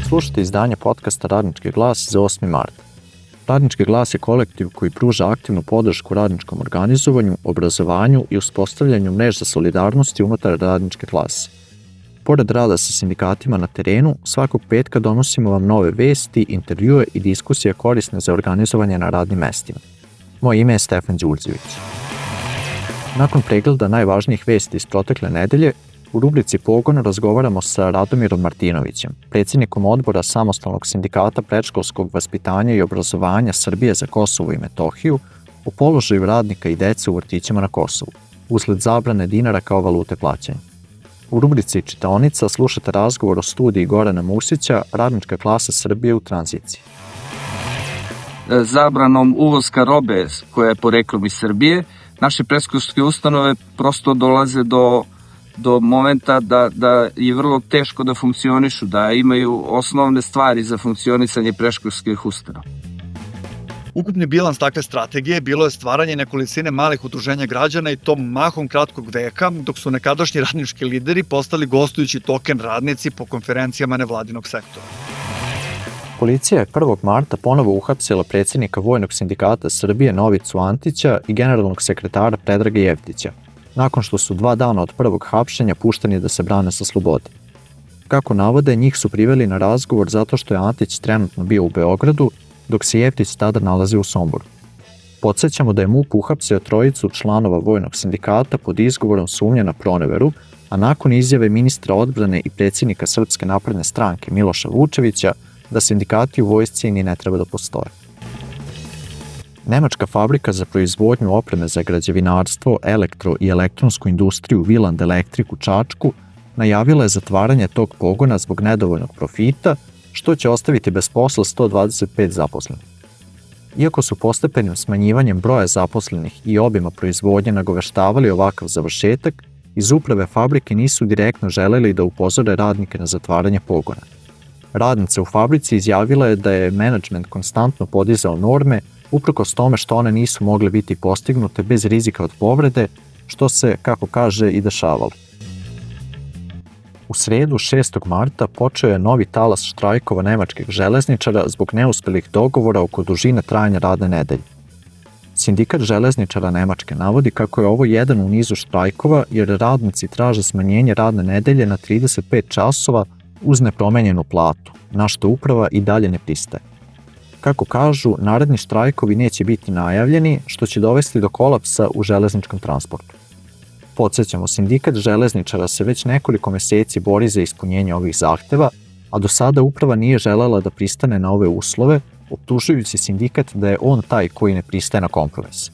Slušajte izdanje podcasta Radnički glas za 8. mart. Radnički glas je kolektiv koji pruža aktivnu podršku radničkom organizovanju, obrazovanju i uspostavljanju mreža solidarnosti unutar radničke klase. Pored rada sa sindikatima na terenu, svakog petka donosimo vam nove vesti, intervjue i diskusije korisne za organizovanje na radnim mestima. Moje ime je Stefan Đurđević. Nakon pregleda najvažnijih vesti iz protekle nedelje, u rubrici Pogon razgovaramo sa Radomirom Martinovićem, predsjednikom odbora Samostalnog sindikata predškolskog vaspitanja i obrazovanja Srbije za Kosovo i Metohiju, o položaju radnika i dece u vrtićima na Kosovu, usled zabrane dinara kao valute plaćanja. U rubrici Čitaonica slušate razgovor o studiji Gorana Musića, Radnička klasa Srbije u tranziciji. Zabranom uvozka robe koja je poreklom iz Srbije, naše predškolske ustanove prosto dolaze do momenta da je vrlo teško da funkcionišu, da imaju osnovne stvari za funkcionisanje predškolskih ustanova. Ukupni bilans takve strategije bilo je stvaranje nekolicine malih udruženja građana i to mahom kratkog veka, dok su nekadašnji radnički lideri postali gostujući token radnici po konferencijama nevladinog sektora. Policija je 1. marta ponovo uhapsila predsjednika Vojnog sindikata Srbije Novicu Antića i generalnog sekretara Predraga Jeftića, nakon što su 2 dana od prvog hapšenja pušteni da se brane sa slobode. Kako navode, njih su priveli na razgovor zato što je Antić trenutno bio u Beogradu, dok se Jeftić tada nalazi u Somboru. Podsjećamo da je MUP uhapsio 3 članova Vojnog sindikata pod izgovorom sumnje na proneveru, a nakon izjave ministra odbrane i predsjednika Srpske napredne stranke Miloša Vučevića da sindikati u vojsci ni ne treba da postoje. Nemačka fabrika za proizvodnju opreme za građevinarstvo, elektro i elektronsku industriju Wieland Electric u Čačku najavila je zatvaranje tog pogona zbog nedovoljnog profita, što će ostaviti bez posla 125 zaposlenih. Iako su postepenim smanjivanjem broja zaposlenih i obima proizvodnje nagoveštavali ovakav završetak, iz uprave fabrike nisu direktno želeli da upozore radnike na zatvaranje pogona. Radnica u fabrici izjavila je da je menadžment konstantno podizao norme uprkos tome što one nisu mogle biti postignute bez rizika od povrede, što se, kako kaže, i dešavalo. U sredu 6. marta počeo je novi talas štrajkova nemačkih železničara zbog neuspelih dogovora oko dužine trajanja radne nedelje. Sindikat železničara Nemačke navodi kako je ovo jedan u nizu štrajkova jer radnici traže smanjenje radne nedelje na 35 časova uz nepromenjenu platu, na što uprava i dalje ne pristaje. Kako kažu, naredni štrajkovi neće biti najavljeni, što će dovesti do kolapsa u železničkom transportu. Podsjećamo, sindikat železničara se već nekoliko meseci bori za ispunjenje ovih zahteva, a do sada uprava nije želela da pristane na ove uslove, optužujući sindikat da je on taj koji ne pristaje na kompromis.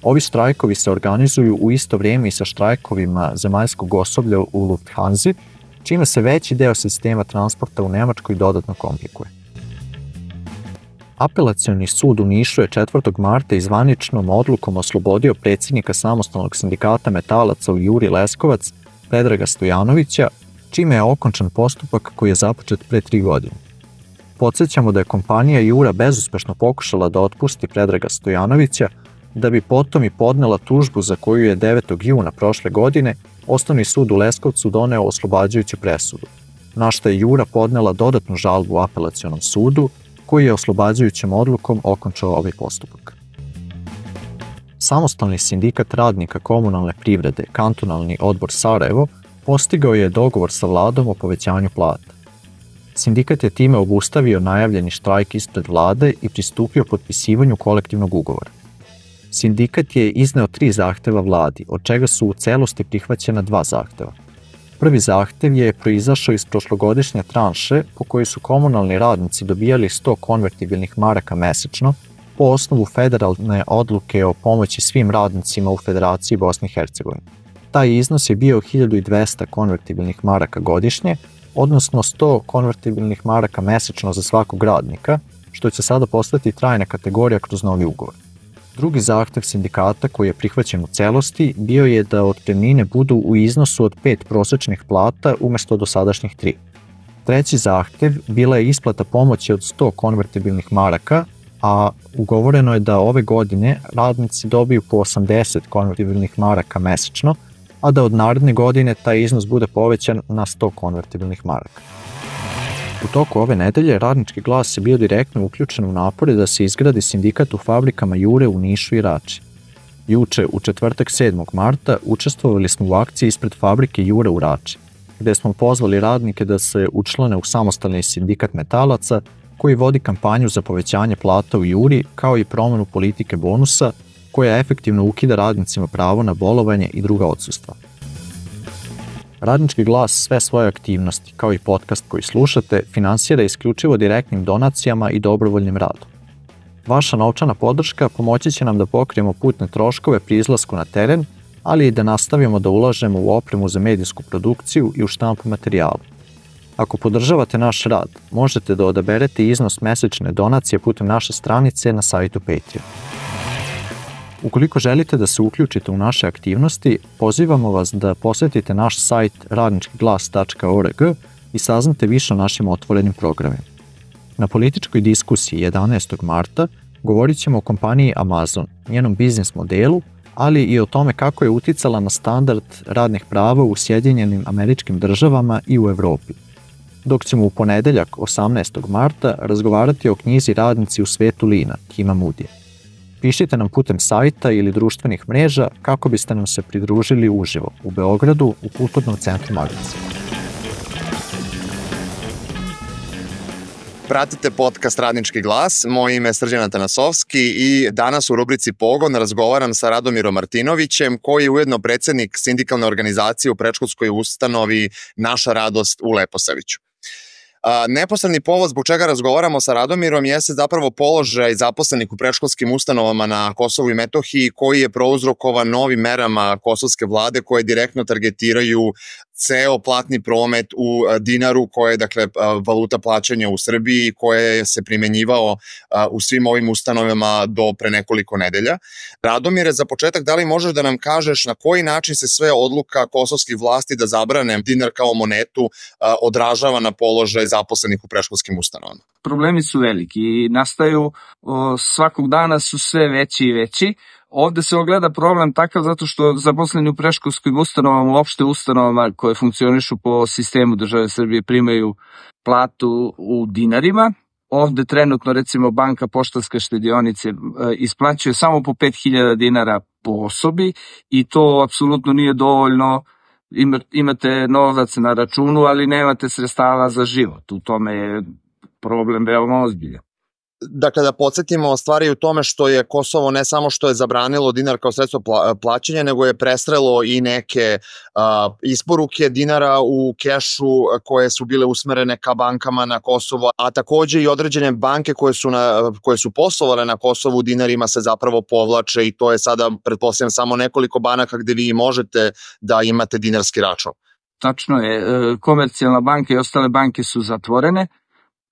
Ovi štrajkovi se organizuju u isto vrijeme i sa štrajkovima zemaljskog osoblja u Lufthansi, čime se veći deo sistema transporta u Nemačkoj dodatno komplikuje. Apelacioni sud u Nišu je 4. marta zvaničnom odlukom oslobodio predsjednika Samostalnog sindikata metalaca u Juri Leskovac, Predraga Stojanovića, čime je okončan postupak koji je započet pre 3 godine. Podsjećamo da je kompanija Jura bezuspešno pokušala da otpusti Predraga Stojanovića, da bi potom i podnela tužbu za koju je 9. juna prošle godine Osnovni sud u Leskovcu doneo oslobađajuću presudu, na što je Jura podnela dodatnu žalbu u apelacionom sudu, koji je oslobađajućom odlukom okončao ovaj postupak. Samostalni sindikat radnika komunalne privrede, kantonalni odbor Sarajevo, postigao je dogovor sa vladom o povećanju plata. Sindikat je time obustavio najavljeni štrajk ispred vlade i pristupio potpisivanju kolektivnog ugovora. Sindikat je izneo 3 zahteva vladi, od čega su u celosti prihvaćena 2 zahteva. Prvi zahtev je proizašao iz prošlogodišnje tranše po kojoj su komunalni radnici dobijali 100 konvertibilnih maraka mesečno po osnovu federalne odluke o pomoći svim radnicima u Federaciji Bosne i Hercegovine. Taj iznos je bio 1200 konvertibilnih maraka godišnje, odnosno 100 konvertibilnih maraka mesečno za svakog radnika, što će sada postati trajna kategorija kroz novi ugovor. Drugi zahtev sindikata koji je prihvaćen u celosti bio je da otpremnine budu u iznosu od 5 prosečnih plata umjesto dosadašnjih 3. Treći zahtev bila je isplata pomoći od 100 konvertibilnih maraka, a ugovoreno je da ove godine radnici dobiju po 80 konvertibilnih maraka mesečno, a da od naredne godine taj iznos bude povećan na 100 konvertibilnih maraka. U toku ove nedelje Radnički glas je bio direktno uključen u napore da se izgradi sindikat u fabrikama Jure u Nišu i Rači. Juče, u četvrtak 7. marta, učestvovali smo u akciji ispred fabrike Jure u Rači, gde smo pozvali radnike da se učlane u samostalni sindikat metalaca koji vodi kampanju za povećanje plata u Juri kao i promenu politike bonusa koja efektivno ukida radnicima pravo na bolovanje i druga odsustva. Radnički glas sve svoje aktivnosti, kao i podcast koji slušate, finansira isključivo direktnim donacijama i dobrovoljnim radom. Vaša novčana podrška pomoći će nam da pokrijemo putne troškove pri izlasku na teren, ali i da nastavimo da ulažemo u opremu za medijsku produkciju i u štampu materijala. Ako podržavate naš rad, možete da odaberete iznos mesečne donacije putem naše stranice na sajtu Patreon. Ukoliko želite da se uključite u naše aktivnosti, pozivamo vas da posetite naš sajt radničkiglas.org i saznate više o našim otvorenim programima. Na političkoj diskusiji 11. marta govorit ćemo o kompaniji Amazon, njenom biznis modelu, ali i o tome kako je uticala na standard radnih prava u Sjedinjenim Američkim Državama i u Evropi. Dok ćemo u ponedeljak 18. marta razgovarati o knjizi Radnici u svetu lina, Kima Moodya. Pišite nam putem sajta ili društvenih mreža kako biste nam se pridružili uživo u Beogradu u Kulturnom centru Magnice. Pratite podcast Radnički glas, moje ime je Srđan Atanasovski i danas u rubrici Pogon razgovaram sa Radomirom Martinovićem, koji je ujedno predsednik sindikalne organizacije u predškolskoj ustanovi Naša radost u Leposaviću. Neposredni povod zbog čega razgovaramo sa Radomirom jeste zapravo položaj zaposlenih u predškolskim ustanovama na Kosovu i Metohiji, koji je prouzrokovan novim merama kosovske vlade koje direktno targetiraju ceo platni promet u dinaru, koje je dakle valuta plaćanja u Srbiji, koje se primenjivao u svim ovim ustanovama do pre nekoliko nedelja. Radomire, za početak, da li možeš da nam kažeš na koji način se sve odluka kosovskih vlasti da zabrane dinar kao monetu odražava na položaj zaposlenih u predškolskim ustanovama? Problemi su veliki i nastaju svakog dana su sve veći i veći. Ovde se ogleda problem takav zato što zaposleni u predškolskim ustanovama, uopšte ustanovama koje funkcionišu po sistemu države Srbije, primaju platu u dinarima. Ovde trenutno recimo Banka Poštanske štedionice isplaćuje samo po 5.000 dinara po osobi i to apsolutno nije dovoljno. Imate novac na računu, ali nemate sredstava za život. U tome je problem veoma ozbiljan. Dakle, da podsjetimo, stvar je u tome što je Kosovo ne samo što je zabranilo dinar kao sredstvo plaćanja, nego je prestrelo i neke isporuke dinara u kešu koje su bile usmerene ka bankama na Kosovo, a takođe i određene banke koje su poslovale na Kosovu dinarima se zapravo povlače i to je sada, pretpostavljam, samo nekoliko banaka gde vi možete da imate dinarski račun. Tačno je, Komercijalna banka i ostale banke su zatvorene.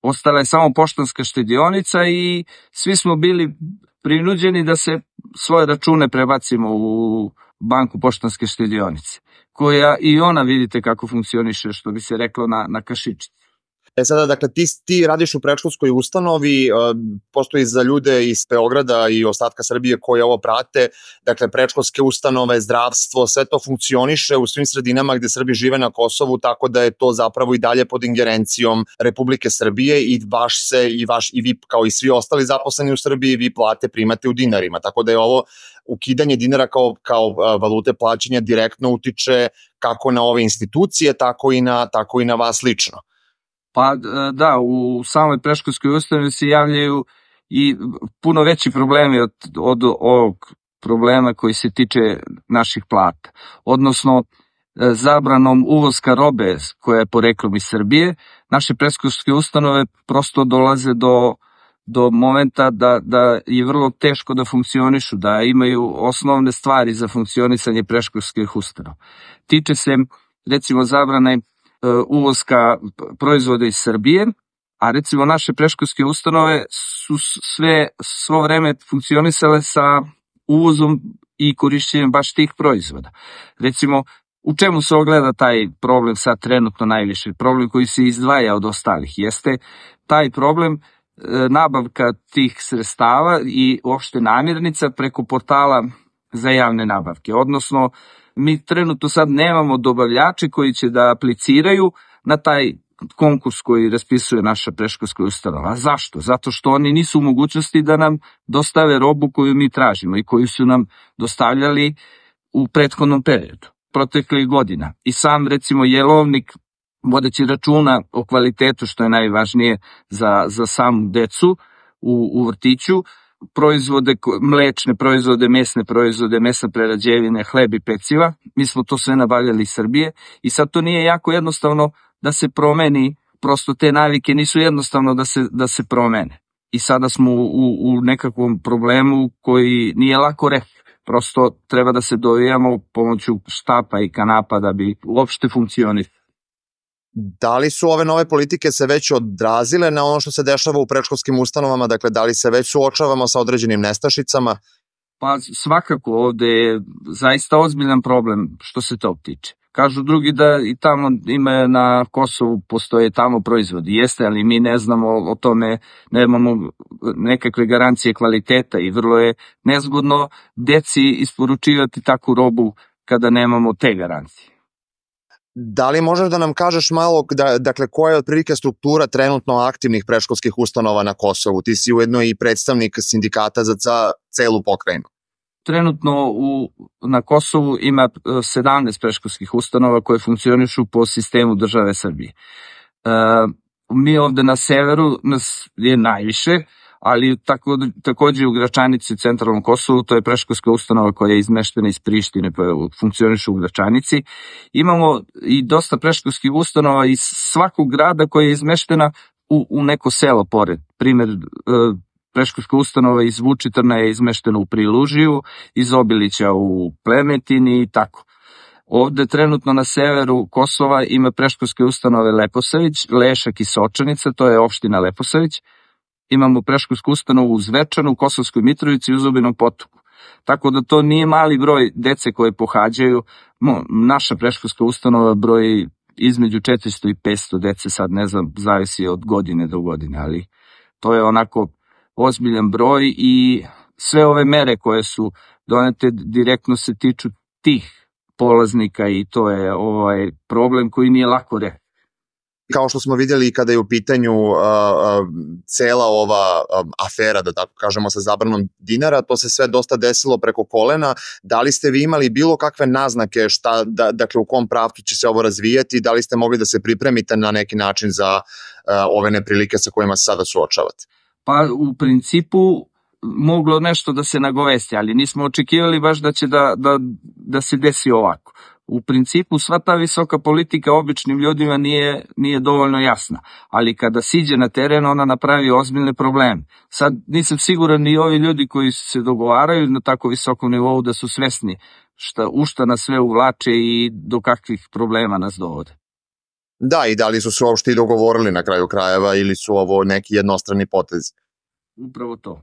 Ostala je samo Poštanska štedionica i svi smo bili prinuđeni da se svoje račune prebacimo u Banku Poštanske štedionice, koja i ona vidite kako funkcioniše, što bi se reklo na kašičici. Sada, dakle, ti radiš u predškolskoj ustanovi, postoji za ljude iz Beograda i ostatka Srbije koji ovo prate, dakle, predškolske ustanove, zdravstvo, sve to funkcioniše u svim sredinama gde Srbi žive na Kosovu, tako da je to zapravo i dalje pod ingerencijom Republike Srbije i i vi kao i svi ostali zaposleni u Srbiji, vi plate primate u dinarima, tako da je ovo ukidanje dinara kao valute plaćanja direktno utiče kako na ove institucije, tako i na vas lično. Pa da, u samoj predškolskoj ustanovi se javljaju i puno veći problemi od ovog problema koji se tiče naših plata. Odnosno, zabranom uvoska robe koja je poreklom iz Srbije, naše predškolske ustanove prosto dolaze do momenta da je vrlo teško da funkcionišu, da imaju osnovne stvari za funkcionisanje predškolskih ustanova. Tiče se, recimo, zabrane uvoska proizvoda iz Srbije, a recimo naše predškolske ustanove su svo vreme funkcionisale sa uvozom i korišćenjem baš tih proizvoda. Recimo, u čemu se ogleda taj problem sad trenutno najviše? Problem koji se izdvaja od ostalih jeste taj problem nabavka tih sredstava i uopšte namirnica preko portala za javne nabavke. Odnosno, mi trenutno sad nemamo dobavljače koji će da apliciraju na taj konkurs koji raspisuje naša predškolska ustanova. A zašto? Zato što oni nisu u mogućnosti da nam dostave robu koju mi tražimo i koju su nam dostavljali u prethodnom periodu, proteklih godina. I sam, recimo, jelovnik, vodeći računa o kvalitetu, što je najvažnije za samu decu u vrtiću, proizvode, mlečne proizvode, mesne proizvode, mesne prerađevine, hleb i peciva. Mi smo to sve nabavljali iz Srbije i sad to nije jako jednostavno da se promeni, prosto te navike nisu jednostavno da se promene. I sada smo u nekakvom problemu koji nije lako reći. Prosto treba da se dovijamo pomoću štapa i kanapa da bi uopšte funkcionisali. Da li su ove nove politike se već odrazile na ono što se dešava u predškolskim ustanovama? Dakle, da li se već suočavamo sa određenim nestašicama? Pa svakako ovde je zaista ozbiljan problem što se to tiče. Kažu drugi da i tamo ima na Kosovu postoje tamo proizvodi. Jeste, ali mi ne znamo o tome, nemamo nekakve garancije kvaliteta i vrlo je nezgodno deci isporučivati takvu robu kada nemamo te garancije. Da li možeš da nam kažeš malo, dakle, koja je otprilike struktura trenutno aktivnih predškolskih ustanova na Kosovu? Ti si ujedno i predstavnik sindikata za celu pokrajinu. Trenutno na Kosovu ima 17 predškolskih ustanova koje funkcionišu po sistemu države Srbije. Mi ovde na severu nas je najviše, ali takođe u Gračanici u centralnom Kosovu, to je predškolska ustanova koja je izmeštena iz Prištine, pa funkcioniše u Gračanici. Imamo i dosta predškolskih ustanova iz svakog grada koja je izmeštena u neko selo pored. Primer, predškolska ustanova iz Vučitrna je izmeštena u Prilužiju, iz Obilića u Plemetini i tako. Ovde trenutno na severu Kosova ima predškolske ustanove Leposavić, Lešak i Sočanica, to je opština Leposavić. Imamo predškolsku ustanovu u Zvečanu, u Kosovskoj Mitrovici i u Zubinom Potoku. Tako da to nije mali broj dece koje pohađaju. Naša predškolska ustanova broji između 400 i 500 dece, sad ne znam, zavisi od godine do godine, ali to je onako ozbiljan broj i sve ove mere koje su donete direktno se tiču tih polaznika i to je problem koji nije lako reći. Kao što smo vidjeli kada je u pitanju cela ova afera, da tako kažemo, sa zabranom dinara, to se sve dosta desilo preko kolena. Da li ste vi imali bilo kakve naznake dakle u kom pravcu će se ovo razvijati, da li ste mogli da se pripremite na neki način za ove neprilike sa kojima se sada suočavate? Pa u principu moglo nešto da se nagovesti, ali nismo očekivali baš da će da se desi ovako. U principu sva ta visoka politika običnim ljudima nije dovoljno jasna, ali kada siđe na teren ona napravi ozbiljne probleme. Sad nisam siguran ni ovi ljudi koji se dogovaraju na tako visokom nivou da su svesni u šta nas sve uvlače i do kakvih problema nas dovode. Da, i da li su se uopšte i dogovorili na kraju krajeva ili su ovo neki jednostrani potezi? Upravo to.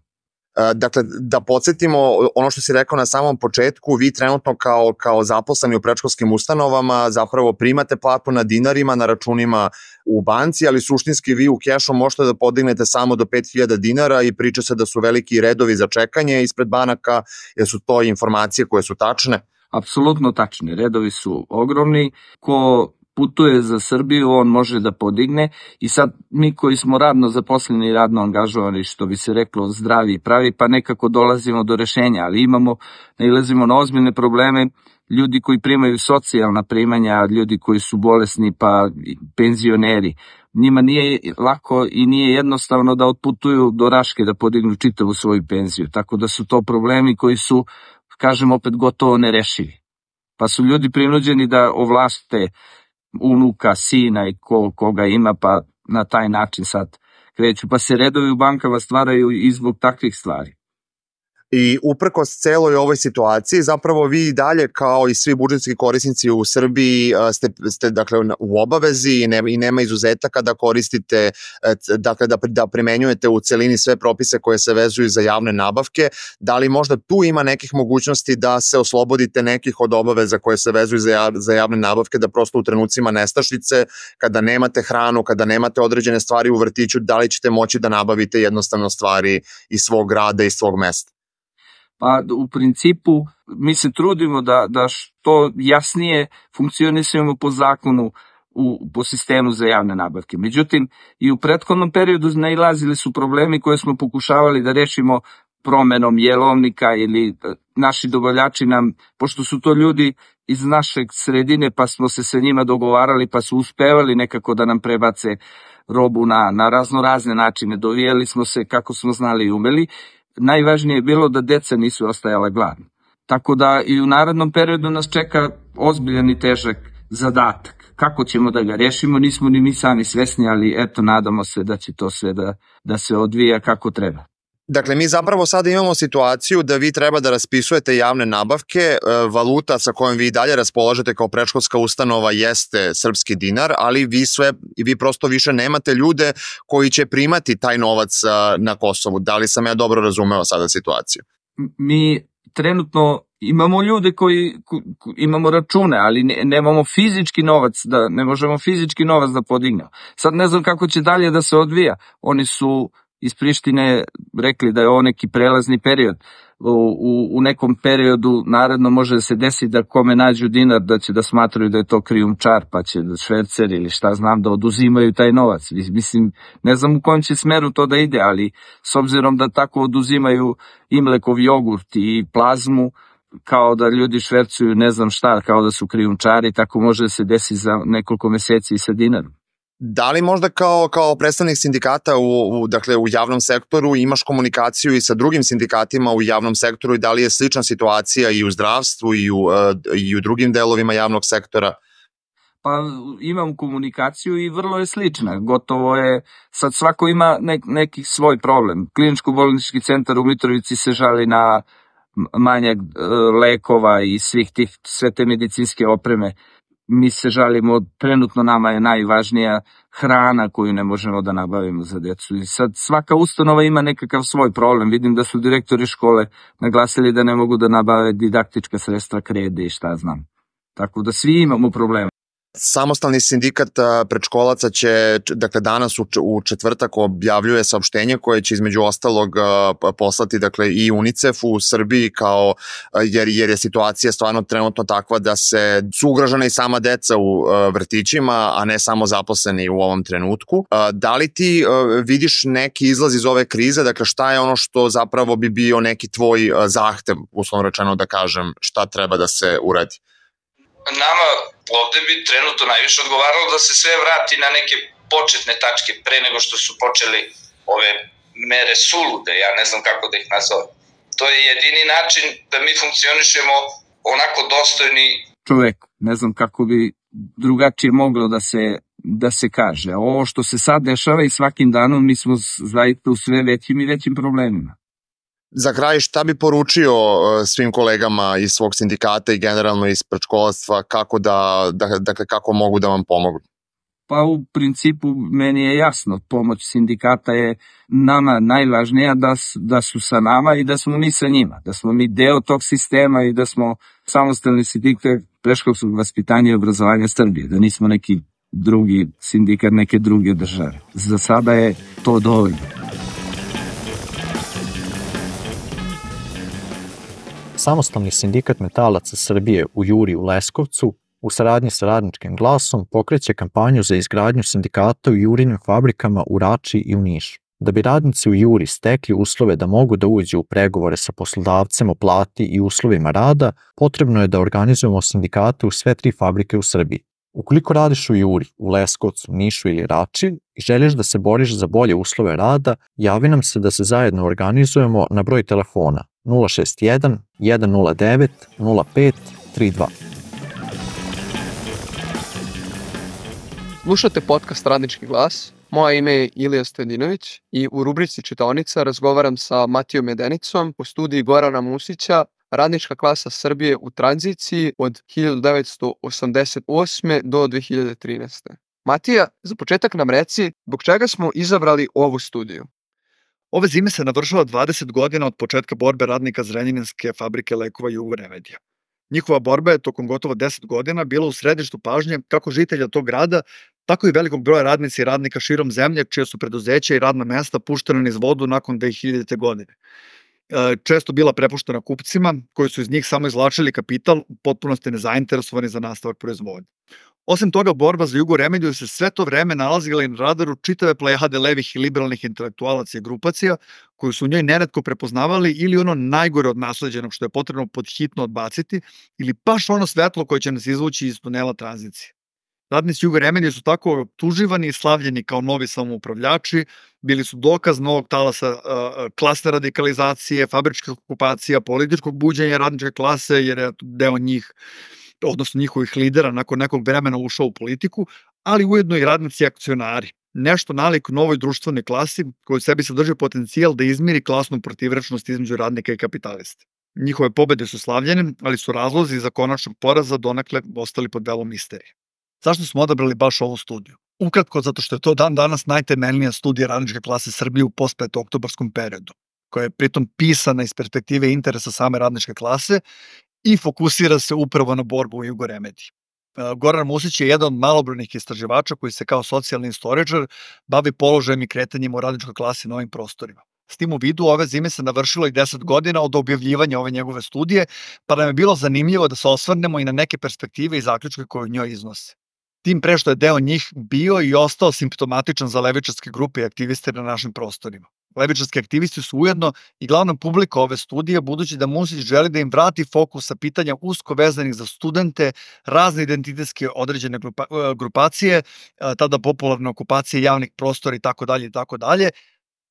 Dakle, da podsjetimo ono što si rekao na samom početku, vi trenutno kao zaposleni u predškolskim ustanovama zapravo primate platu na dinarima, na računima u banci, ali suštinski vi u kešu možete da podignete samo do 5000 dinara i priča se da su veliki redovi za čekanje ispred banaka, jer su to informacije koje su tačne? Apsolutno tačne, redovi su ogromni, ko putuje za Srbiju, on može da podigne i sad mi koji smo radno zaposleni i radno angažovani, što bi se reklo zdravi i pravi, pa nekako dolazimo do rešenja, ali nailazimo na ozbiljne probleme, ljudi koji primaju socijalna primanja, ljudi koji su bolesni pa penzioneri. Njima nije lako i nije jednostavno da otputuju do Raške da podignu čitavu svoju penziju, tako da su to problemi koji su, kažem opet, gotovo nerešivi. Pa su ljudi prinuđeni da ovlaste unuka, sina i koga ima, pa na taj način sad kreću. Pa se redovi u bankama stvaraju i zbog takvih stvari. I uprkos celoj ovoj situaciji, zapravo vi dalje kao i svi budžetski korisnici u Srbiji ste dakle u obavezi i nema izuzetaka da koristite, dakle da primenjujete u celini sve propise koje se vezuju za javne nabavke. Da li možda tu ima nekih mogućnosti da se oslobodite nekih od obaveza koje se vezuju za javne nabavke, da prosto u trenucima nestašice, kada nemate hranu, kada nemate određene stvari u vrtiću, da li ćete moći da nabavite jednostavno stvari iz svog grada, iz svog mesta? Pa u principu mi se trudimo da što jasnije funkcionisujemo po zakonu po sistemu za javne nabavke. Međutim, i u prethodnom periodu nailazili su problemi koje smo pokušavali da rešimo promenom jelovnika ili naši dobavljači nam, pošto su to ljudi iz našeg sredine, pa smo se sa njima dogovarali, pa su uspevali nekako da nam prebace robu na razne načine. Dovijali smo se kako smo znali i umeli. Najvažnije je bilo da deca nisu ostajala gladna. Tako da i u narednom periodu nas čeka ozbiljan i težak zadatak. Kako ćemo da ga rešimo, nismo ni mi sami svesni, ali eto, nadamo se da će to sve da se odvija kako treba. Dakle, mi zapravo sada imamo situaciju da vi treba da raspisujete javne nabavke, valuta sa kojom vi dalje raspolažete kao predškolska ustanova jeste srpski dinar, ali vi prosto više nemate ljude koji će primati taj novac na Kosovu. Da li sam ja dobro razumeo sada situaciju? Mi trenutno imamo ljude koji imamo račune, ali nemamo fizički novac, ne možemo fizički novac da podignemo. Sad ne znam kako će dalje da se odvija. Oni su iz Prištine rekli da je ovo neki prelazni period. U nekom periodu naredno može da se desi da kome nađu dinar da će da smatraju da je to krijumčar, pa će da švercer ili šta znam da oduzimaju taj novac. Mislim, ne znam u kojem će smeru to da ide, ali s obzirom da tako oduzimaju i mlekov jogurt i plazmu, kao da ljudi švercuju ne znam šta, kao da su krijumčari, tako može da se desi za nekoliko meseci i sa dinarom. Da li možda kao predstavnik sindikata u javnom sektoru imaš komunikaciju i sa drugim sindikatima u javnom sektoru i da li je slična situacija i u zdravstvu i u drugim delovima javnog sektora? Pa imam komunikaciju i vrlo je slična. Gotovo je, sad svako ima neki svoj problem. Kliničko-bolnički centar u Mitrovici se žali na manjak lekova i sve te medicinske opreme. Mi se žalimo, trenutno nama je najvažnija hrana koju ne možemo da nabavimo za decu. I sad svaka ustanova ima nekakav svoj problem. Vidim da su direktori škole naglasili da ne mogu da nabave didaktička sredstva, krede i šta znam. Tako da svi imamo problema. Samostalni sindikat predškolaca će, dakle, danas u četvrtak objavljuje saopštenje koje će između ostalog poslati, dakle, i UNICEF-u u Srbiji, jer je situacija stvarno trenutno takva da su ugrožena i sama deca u vrtićima, a ne samo zaposleni u ovom trenutku. Da li ti vidiš neki izlaz iz ove krize, dakle, šta je ono što zapravo bi bio neki tvoj zahtev, uslovno rečeno da kažem, šta treba da se uradi? Nama ovde bi trenutno najviše odgovaralo da se sve vrati na neke početne tačke pre nego što su počeli ove mere sulude, ja ne znam kako da ih nazovem. To je jedini način da mi funkcionišemo onako dostojni čovek. Ne znam kako bi drugačije moglo da se kaže. Ovo što se sad dešava i svakim danom mi smo zaista u sve većim i većim problemima. Za kraj, šta bi poručio svim kolegama iz svog sindikata i generalno iz predškolarstva, kako mogu da vam pomognu? Pa u principu meni je jasno, pomoć sindikata je nama najvažnija, da su sa nama i da smo mi sa njima, da smo mi deo tog sistema i da smo samostalni sindikat predškolskog vaspitanja i obrazovanja Srbije, da nismo neki drugi sindikat neke druge države. Za sada je to dovoljno. Samostalni sindikat metalaca Srbije u Juri u Leskovcu u saradnji sa Radničkim glasom pokreće kampanju za izgradnju sindikata u Jurinim fabrikama u Rači i u Nišu. Da bi radnici u Juri stekli uslove da mogu da uđu u pregovore sa poslodavcem o plati i uslovima rada, potrebno je da organizujemo sindikate u sve 3 fabrike u Srbiji. Ukoliko radiš u Juri, u Leskovcu, Nišu ili Rači i želiš da se boriš za bolje uslove rada, javi nam se da se zajedno organizujemo na broj telefona 061 109 0532. Slušate podcast Radnički glas. Moje ime je Ilija Stojadinović i u rubrici Čitaonica razgovaram sa Matijom Medenicom u studiji Gorana Musića, Radnička klasa Srbije u tranziciji od 1988. do 2013. Matija, za početak nam reci zbog čega smo izabrali ovu studiju. Ove zime se navršava 20 godina od početka borbe radnika Zrenjaninske fabrike lekova Jugo Remedija. Njihova borba je tokom gotovo 10 godina bila u središtu pažnje kako žitelja tog grada, tako i velikog broja radnici i radnika širom zemlje, čije su preduzeća i radna mesta puštena niz vodu nakon 2000. godine. Često bila prepuštena kupcima, koji su iz njih samo izvlačili kapital, u potpunosti nezainteresovani za nastavak proizvodnje. Osim toga, borba za Jugo Remediju se sve to vreme nalazila i na radaru čitave plejade levih i liberalnih intelektualaca i grupacija, koji su u njoj neretko prepoznavali ili ono najgore od nasleđenog što je potrebno podhitno odbaciti, ili baš ono svetlo koje će nas izvući iz tunela tranzicije. Radnici Jugo Remedije su tako optuživani i slavljeni kao novi samoupravljači, bili su dokaz novog talasa klasne radikalizacije, fabričkih okupacija, političkog buđenja radničke klase, jer je deo njih, odnosno njihovih lidera, nakon nekog vremena ušao u politiku, ali ujedno i radnici akcionari. Nešto nalik novoj društvenoj klasi koji u sebi sadrži potencijal da izmiri klasnu protivrečnost između radnika i kapitalista. Njihove pobede su slavljene, ali su razlozi za konačnog poraza donekle ostali pod velom misterije. Zašto smo odabrali baš ovu studiju? Ukratko, zato što je to dan danas najtemeljnija studija radničke klase Srbije u post-petooktobarskom periodu, koja je pritom pisana iz perspektive interesa same radničke klase i fokusira se upravo na borbu u Jugo Remediji. Goran Musić je jedan od malobrojnih istraživača koji se kao socijalni istoričar bavi položajem i kretanjem u radničkoj klasi na ovim prostorima. S tim u vidu, ove zime se navršilo i 10 godina od objavljivanja ove njegove studije, pa nam je bilo zanimljivo da se osvrnemo i na neke perspektive i zaključke koje u njoj iznose. Tim pre što je deo njih bio i ostao simptomatičan za levičarske grupe i aktiviste na našim prostorima. Levičarski aktivisti su ujedno i glavna publika ove studije, budući da Musić želi da im vrati fokus sa pitanja usko vezanih za studente, razne identitetske određene grupacije, tada popularne okupacije javnih prostora itd.,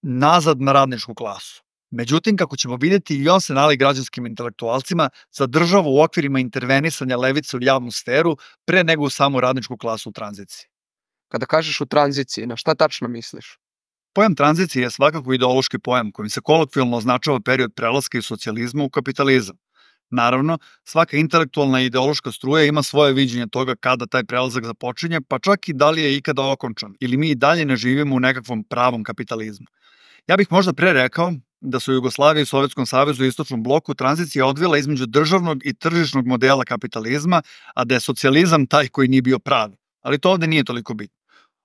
nazad na radničku klasu. Međutim, kako ćemo vidjeti, i on se nali građanskim intelektualcima zadržava u okvirima intervenisanja levice u javnu sferu pre nego u samu radničku klasu u tranziciji. Kada kažeš u tranziciji, na šta tačno misliš? Pojam tranzicije je svakako ideološki pojam kojim se kolokvijalno označava period prelaska iz socijalizma u kapitalizam. Naravno, svaka intelektualna i ideološka struja ima svoje viđenje toga kada taj prelazak započinje, pa čak i da li je ikada okončan, ili mi i dalje ne živimo u nekakvom pravom kapitalizmu. Ja bih možda pre rekao da su u Jugoslaviji i Sovjetskom savezu i Istočnom bloku tranzicija odvila između državnog i tržišnog modela kapitalizma, a da je socijalizam taj koji nije bio pravi. Ali to ovde nije toliko bitno.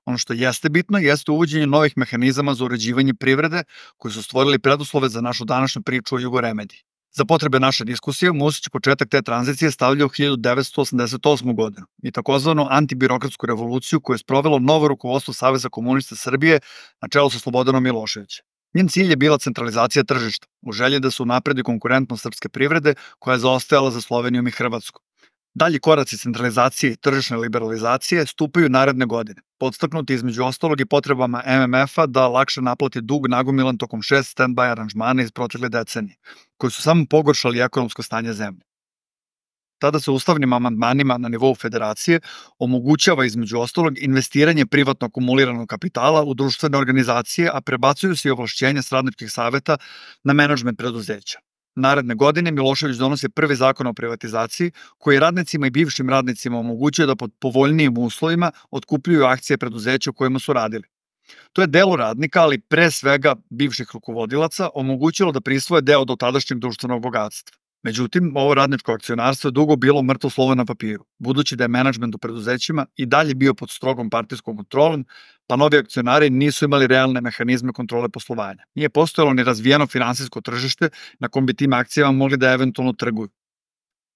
Ono što jeste bitno jeste uvođenje novih mehanizama za uređivanje privrede koji su stvorili preduslove za našu današnju priču o Jugo Remediji. Za potrebe naše diskusije, Musić početak te tranzicije stavlja u 1988. godinu i takozvanu antibirokratsku revoluciju koju je sprovelo novo rukovodstvo Saveza komunista Srbije na čelu sa Slobodanom Miloševićem. Njen cilj je bila centralizacija tržišta, u želji da se unapredi konkurentnost srpske privrede koja je zaostajala za Slovenijom i Hrvatskom. Dalji koraci centralizacije i tržišne liberalizacije stupaju naredne godine, podstaknuti između ostalog i potrebama MMF-a da lakše naplati dug nagomilan tokom 6 stand-by aranžmana iz protekle decenije, koji su samo pogoršali ekonomsko stanje zemlje. Tada se ustavnim amandmanima na nivou federacije omogućava između ostalog investiranje privatno akumuliranog kapitala u društvene organizacije, a prebacuju se i ovlašćenja s radničkih saveta na menadžment preduzeća. Naredne godine Milošević donosi prvi zakon o privatizaciji koji radnicima i bivšim radnicima omogućuje da pod povoljnijim uslovima otkupljuju akcije preduzeća u kojima su radili. To je delu radnika, ali pre svega bivših rukovodilaca, omogućilo da prisvoje deo do tadašnjeg društvenog bogatstva. Međutim, ovo radničko akcionarstvo je dugo bilo mrtvo slovo na papiru, budući da je menadžment u preduzećima i dalje bio pod strogom partijskom kontrolom, pa novi akcionari nisu imali realne mehanizme kontrole poslovanja. Nije postojalo ni razvijeno finansijsko tržište na kom bi tim akcijama mogli da eventualno trguju.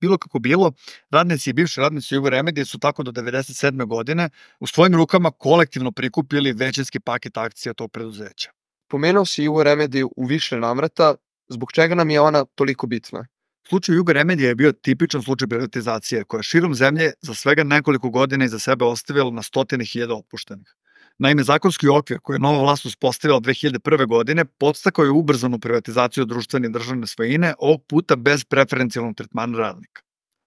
Bilo kako bilo, radnici i bivši radnici Jugo Remedije su tako do 1997. godine u svojim rukama kolektivno prikupili većinski paket akcija tog preduzeća. Pomenuo si Jugo Remediju u više navrata, zbog čega nam je ona toliko bitna? Slučaj Jugo Remedije je bio tipičan slučaj privatizacije koja je širom zemlje za svega nekoliko godina iza sebe ostavila na stotine hiljada otpuštenih. Naime, zakonski okvir koji je nova vlast uspostavila 2001. godine podstakao je ubrzanu privatizaciju društvene i državne svojine, ovog puta bez preferencijalnog tretmana radnika.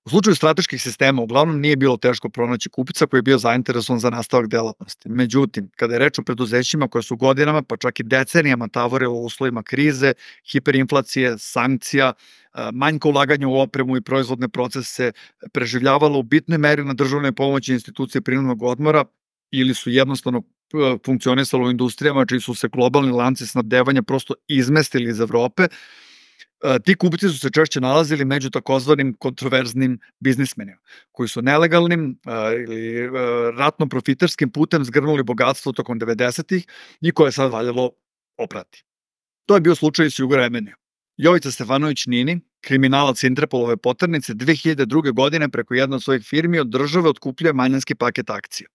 U slučaju strateških sistema uglavnom nije bilo teško pronaći kupca koji je bio zainteresovan za nastavak delatnosti. Međutim, kada je reč o preduzećima koje su godinama, pa čak i decenijama tavorilo u uslovima krize, hiperinflacije, sankcija, manjka ulaganja u opremu i proizvodne procese, preživljavalo u bitnoj meri na državnoj pomoći institucije prinudnog odmora ili su jednostavno funkcionisalo u industrijama čiji su se globalni lanci snabdevanja prosto izmestili iz Evrope, ti kupci su se češće nalazili među takozvanim kontroverznim biznismenima, koji su nelegalnim ili ratno profiterskim putem zgrnuli bogatstvo tokom 90-ih i koje je sad valjalo oprati. To je bio slučaj s Jugo Remedijom. Jovica Stefanović Nini, kriminalac Interpolove poternice 2002. godine preko jedne od svojih firmi od države otkupljuje manjinski paket akcija.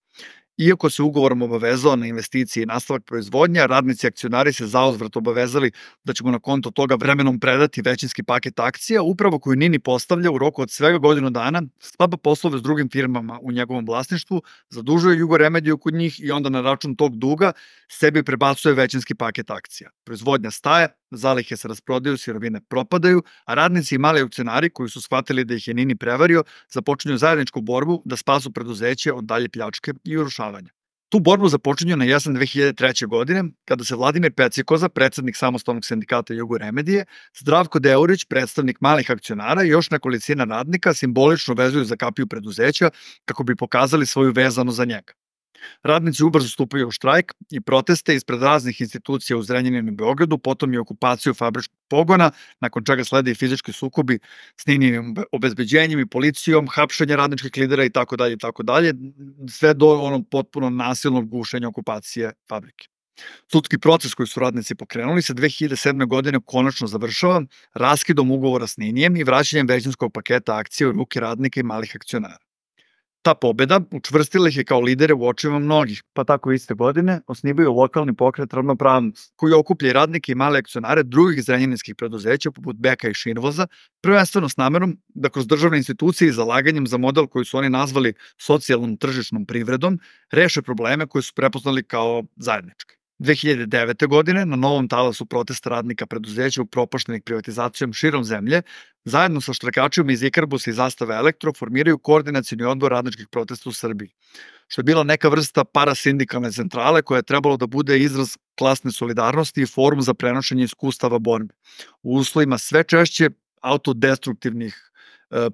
Iako se ugovorom obavezao na investicije i nastavak proizvodnja, radnici i akcionari se zauzvrat obavezali da ćemo na konto toga vremenom predati većinski paket akcija, upravo koju Nini postavlja u roku od svega godinu dana, sklapa poslove s drugim firmama u njegovom vlasništvu, zadužuje Jugoremediju kod njih i onda na račun tog duga sebi prebacuje većinski paket akcija. Proizvodnja staje, zalihe se rasprodaju, sirovine propadaju, a radnici i mali akcionari koji su shvatili da ih je Nini prevario, započinju zajedničku borbu da spasu preduzeće od dalje pljačke i urušavanja. Tu borbu započinju na jesen 2003. godine, kada se Vladimir Pecikoza, predsednik samostalnog sindikata Jugoremedije, Zdravko Deurić, predstavnik malih akcionara i još nekolicina radnika simbolično vezuju za kapiju preduzeća kako bi pokazali svoju vezanu za njega. Radnici ubrzo stupaju u štrajk i proteste ispred raznih institucija u Zrenjaninu i Beogradu, potom i okupaciju fabričkog pogona, nakon čega slede i fizički sukobi s Nininim obezbeđenjem i policijom, hapšenje radničkih lidera i tako dalje, sve do onog potpuno nasilnog gušenja okupacije fabrike. Sudski proces koji su radnici pokrenuli se 2007. godine konačno završava raskidom ugovora s Ninijem i vraćanjem većinskog paketa akcija u ruke radnika i malih akcionara. Ta pobeda učvrstila ih je kao lidere u očima mnogih, pa tako iste godine osnivaju lokalni pokret Ravnopravnost, koji okuplja i radnike i male akcionare drugih zrenjaninskih preduzeća poput Beka i Šinvoza, prvenstveno s namerom da kroz državne institucije i zalaganjem za model koji su oni nazvali socijalnom tržišnom privredom reše probleme koje su prepoznali kao zajedničke. 2009. godine na novom talasu protesta radnika preduzeća upropaštenih privatizacijom širom zemlje, zajedno sa štrajkačima iz Ikarbusa i Zastave Elektro formiraju koordinacioni odbor radničkih protesta u Srbiji, što je bila neka vrsta parasindikalne centrale koja je trebalo da bude izraz klasne solidarnosti i forum za prenošenje iskustava borbe. U uslovima sve češće autodestruktivnih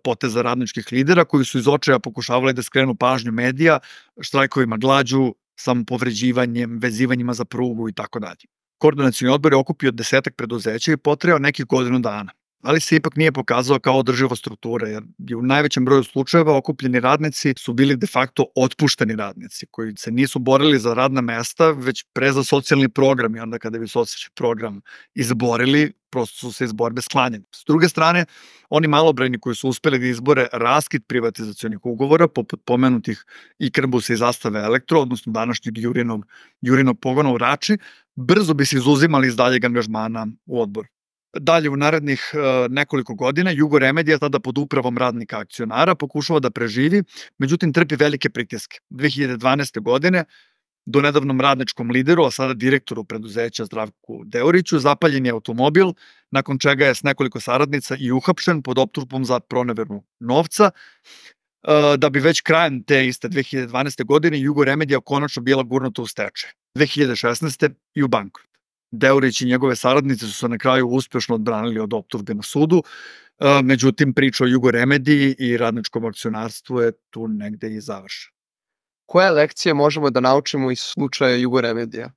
poteza radničkih lidera koji su iz očaja pokušavali da skrenu pažnju medija, štrajkovima glađu, samopovređivanjem, vezivanjima za prugu i tako dalje. Koordinacioni odbor je okupio 10 preduzeća i potrajao nekih godinu dana, ali se ipak nije pokazao kao održiva struktura, jer u najvećem broju slučajeva okupljeni radnici su bili de facto otpušteni radnici, koji se nisu borili za radna mesta, već pre za socijalni program, i onda kada bi socijalni program izborili, prosto su se iz borbe sklanjeni. S druge strane, oni malobrojni koji su uspeli da izbore raskid privatizacionih ugovora, poput pomenutih Ikarbusa i Zastave Elektro, odnosno današnjeg Jurinog pogona u Rači, brzo bi se izuzimali iz daljeg angažmana u odboru. Dalje, u narednih nekoliko godina, Jugoremedija, tada pod upravom radnika akcionara, pokušava da preživi, međutim trpi velike pritiske. 2012. godine, do nedavnom radničkom lideru, a sada direktoru preduzeća Zdravku Deuriću, zapaljen je automobil, nakon čega je s nekoliko saradnica i uhapšen pod optužbom za proneveru novca, da bi već krajem te iste 2012. godine Jugoremedija konačno bila gurnuta u stečaj. 2016. i u bankrot. Deurić i njegove saradnice su se na kraju uspešno odbranili od optužbe na sudu, međutim priča o Jugoremediji i radničkom akcionarstvu je tu negde i završena. Koje lekcije možemo da naučimo iz slučaja Jugoremedija?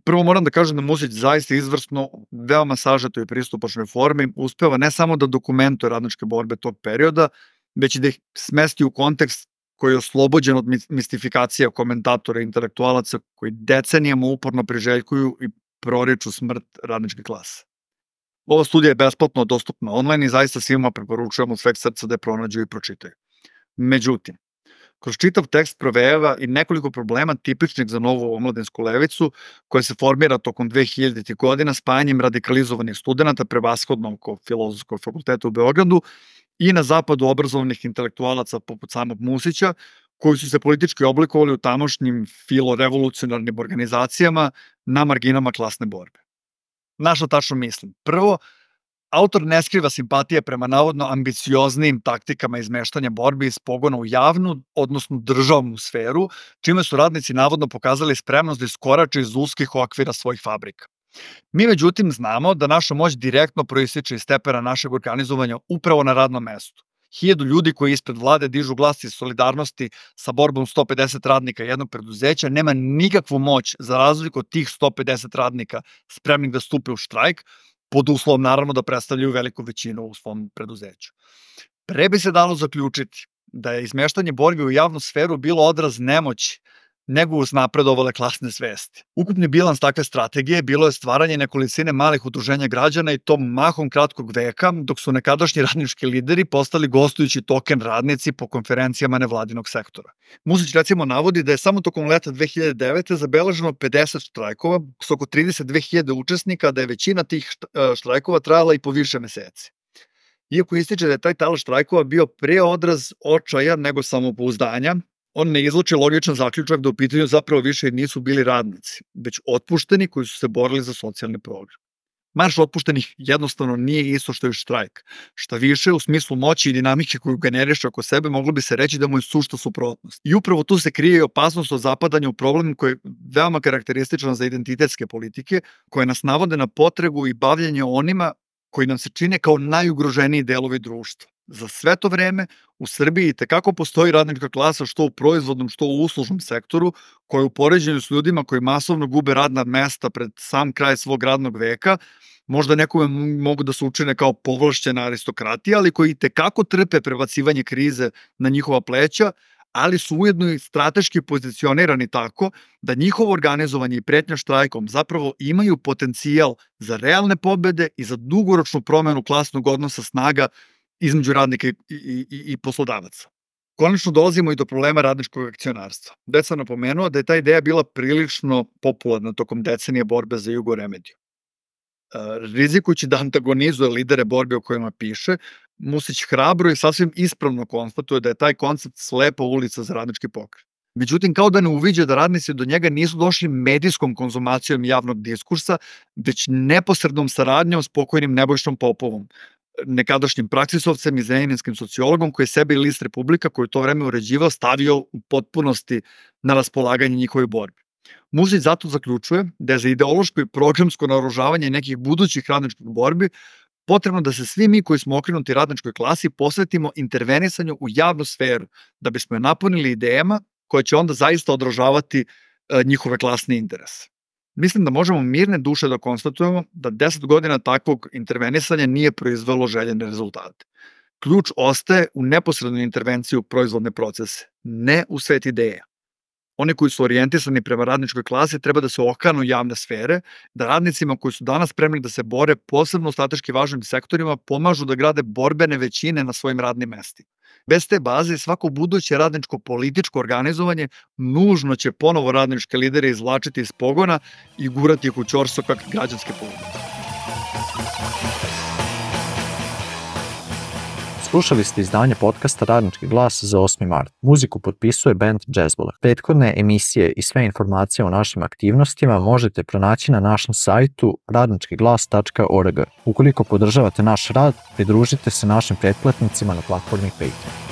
Prvo moram da kažem da Musić zaista izvrsno, veoma sažeto i pristupačnoj formi uspeva ne samo da dokumentuje radničke borbe tog perioda, već i da ih smesti u kontekst koji je oslobođen od mistifikacija komentatora i intelektualaca koji decenijama uporno priželjkuju i proriču smrt radničke klase. Ova studija je besplatno dostupna online i zaista svima preporučujemo od sveg srca da je pronađu i pročitaju. Međutim, kroz čitav tekst provejava i nekoliko problema tipičnih za novu omladinsku levicu koja se formira tokom 2000. godina spajanjem radikalizovanih studenta prevashodno oko Filozofskog fakulteta u Beogradu i na zapadu obrazovanih intelektualaca poput samog Musića, koji su se politički oblikovali u tamošnjim filorevolucionarnim organizacijama na marginama klasne borbe. Na šta tačno mislim? Prvo, autor ne skriva simpatije prema navodno ambicioznim taktikama izmeštanja borbi iz pogona u javnu, odnosno državnu sferu, čime su radnici navodno pokazali spremnost da iskorače iz uskih okvira svojih fabrika. Mi međutim znamo da naša moć direktno proističe iz stepena našeg organizovanja upravo na radnom mestu. 1000 ljudi koji ispred vlade dižu glas iz solidarnosti sa borbom 150 radnika jednog preduzeća nema nikakvu moć za razliku od tih 150 radnika spremnih da stupe u štrajk, pod uslovom naravno da predstavljaju veliku većinu u svom preduzeću. Pre bi se dalo zaključiti da je izmeštanje borbi u javnu sferu bilo odraz nemoći nego uznapredovale klasne svesti. Ukupni bilans takve strategije bilo je stvaranje nekolicine malih udruženja građana i to mahom kratkog veka, dok su nekadašnji radnički lideri postali gostujući token radnici po konferencijama nevladinog sektora. Musić recimo navodi da je samo tokom leta 2009. zabeleženo 50 štrajkova s oko 32.000 učesnika, da je većina tih štrajkova trajala i po više meseci. Iako ističe da je taj talas štrajkova bio pre odraz očaja nego samopouzdanja, on ne izluči logičan zaključak da u pitanju zapravo više nisu bili radnici, već otpušteni koji su se borili za socijalni program. Marš otpuštenih jednostavno nije isto što je štrajk. Šta više, u smislu moći i dinamike koju generiše oko sebe, moglo bi se reći da mu je sušta suprotnost. I upravo tu se krije i opasnost od zapadanja u problem koji je veoma karakterističan za identitetske politike, koje nas navode na potrebu i bavljanje onima koji nam se čine kao najugroženiji delovi društva. Za sve to vreme u Srbiji tekako postoji radnička klasa što u proizvodnom, što u uslužnom sektoru, koja u poređenju s ljudima koji masovno gube radna mesta pred sam kraj svog radnog veka, možda nekome mogu da se učine kao povlašćena aristokratija, ali koji tekako trpe prebacivanje krize na njihova pleća, ali su ujedno i strateški pozicionirani tako da njihovo organizovanje i pretnja štrajkom zapravo imaju potencijal za realne pobede i za dugoročnu promenu klasnog odnosa snaga između radnika i poslodavaca. Konačno dolazimo i do problema radničkog akcionarstva. Već sam napomenuo da je ta ideja bila prilično popularna tokom decenije borbe za Jugoremediju. Rizikujući da antagonizuje lidere borbe o kojima piše, Musić hrabro i sasvim ispravno konstatuje da je taj koncept slepa ulica za radnički pokret. Međutim, kao da ne uviđa da radnici do njega nisu došli medijskom konzumacijom javnog diskursa, već neposrednom saradnjom s pokojnim Nebojšom Popovom, nekadašnjim praksisovcem i zrenjaninskim sociologom koji je sebe i list Republika, koji je to vreme uređivao, stavio u potpunosti na raspolaganje njihovoj borbi. Musić zato zaključuje da je za ideološko i programsko naoružavanje nekih budućih radničkih borbi potrebno da se svi mi koji smo okrenuti radničkoj klasi posvetimo intervenisanju u javnu sferu, da bismo je napunili idejama koje će onda zaista odražavati njihove klasne interese. Mislim da možemo mirne duše da konstatujemo da 10 godina takvog intervenisanja nije proizvelo željene rezultate. Ključ ostaje u neposrednoj intervenciji u proizvodne procese, ne u svet ideja. Oni koji su orijentisani prema radničkoj klasi treba da se okanu javne sfere, da radnicima koji su danas spremni da se bore posebno u strateški važnim sektorima pomažu da grade borbene većine na svojim radnim mestima. Bez te baze svako buduće radničko političko organizovanje nužno će ponovo radničke lidere izvlačiti iz pogona i gurati ih u ćorsokak građanske politike. Slušali ste izdanje podcasta Radnički glas za 8. mart. Muziku potpisuje band Jazzbola. Prethodne emisije i sve informacije o našim aktivnostima možete pronaći na našem sajtu radničkiglas.org. Ukoliko podržavate naš rad, pridružite se našim pretplatnicima na platformi Patreon.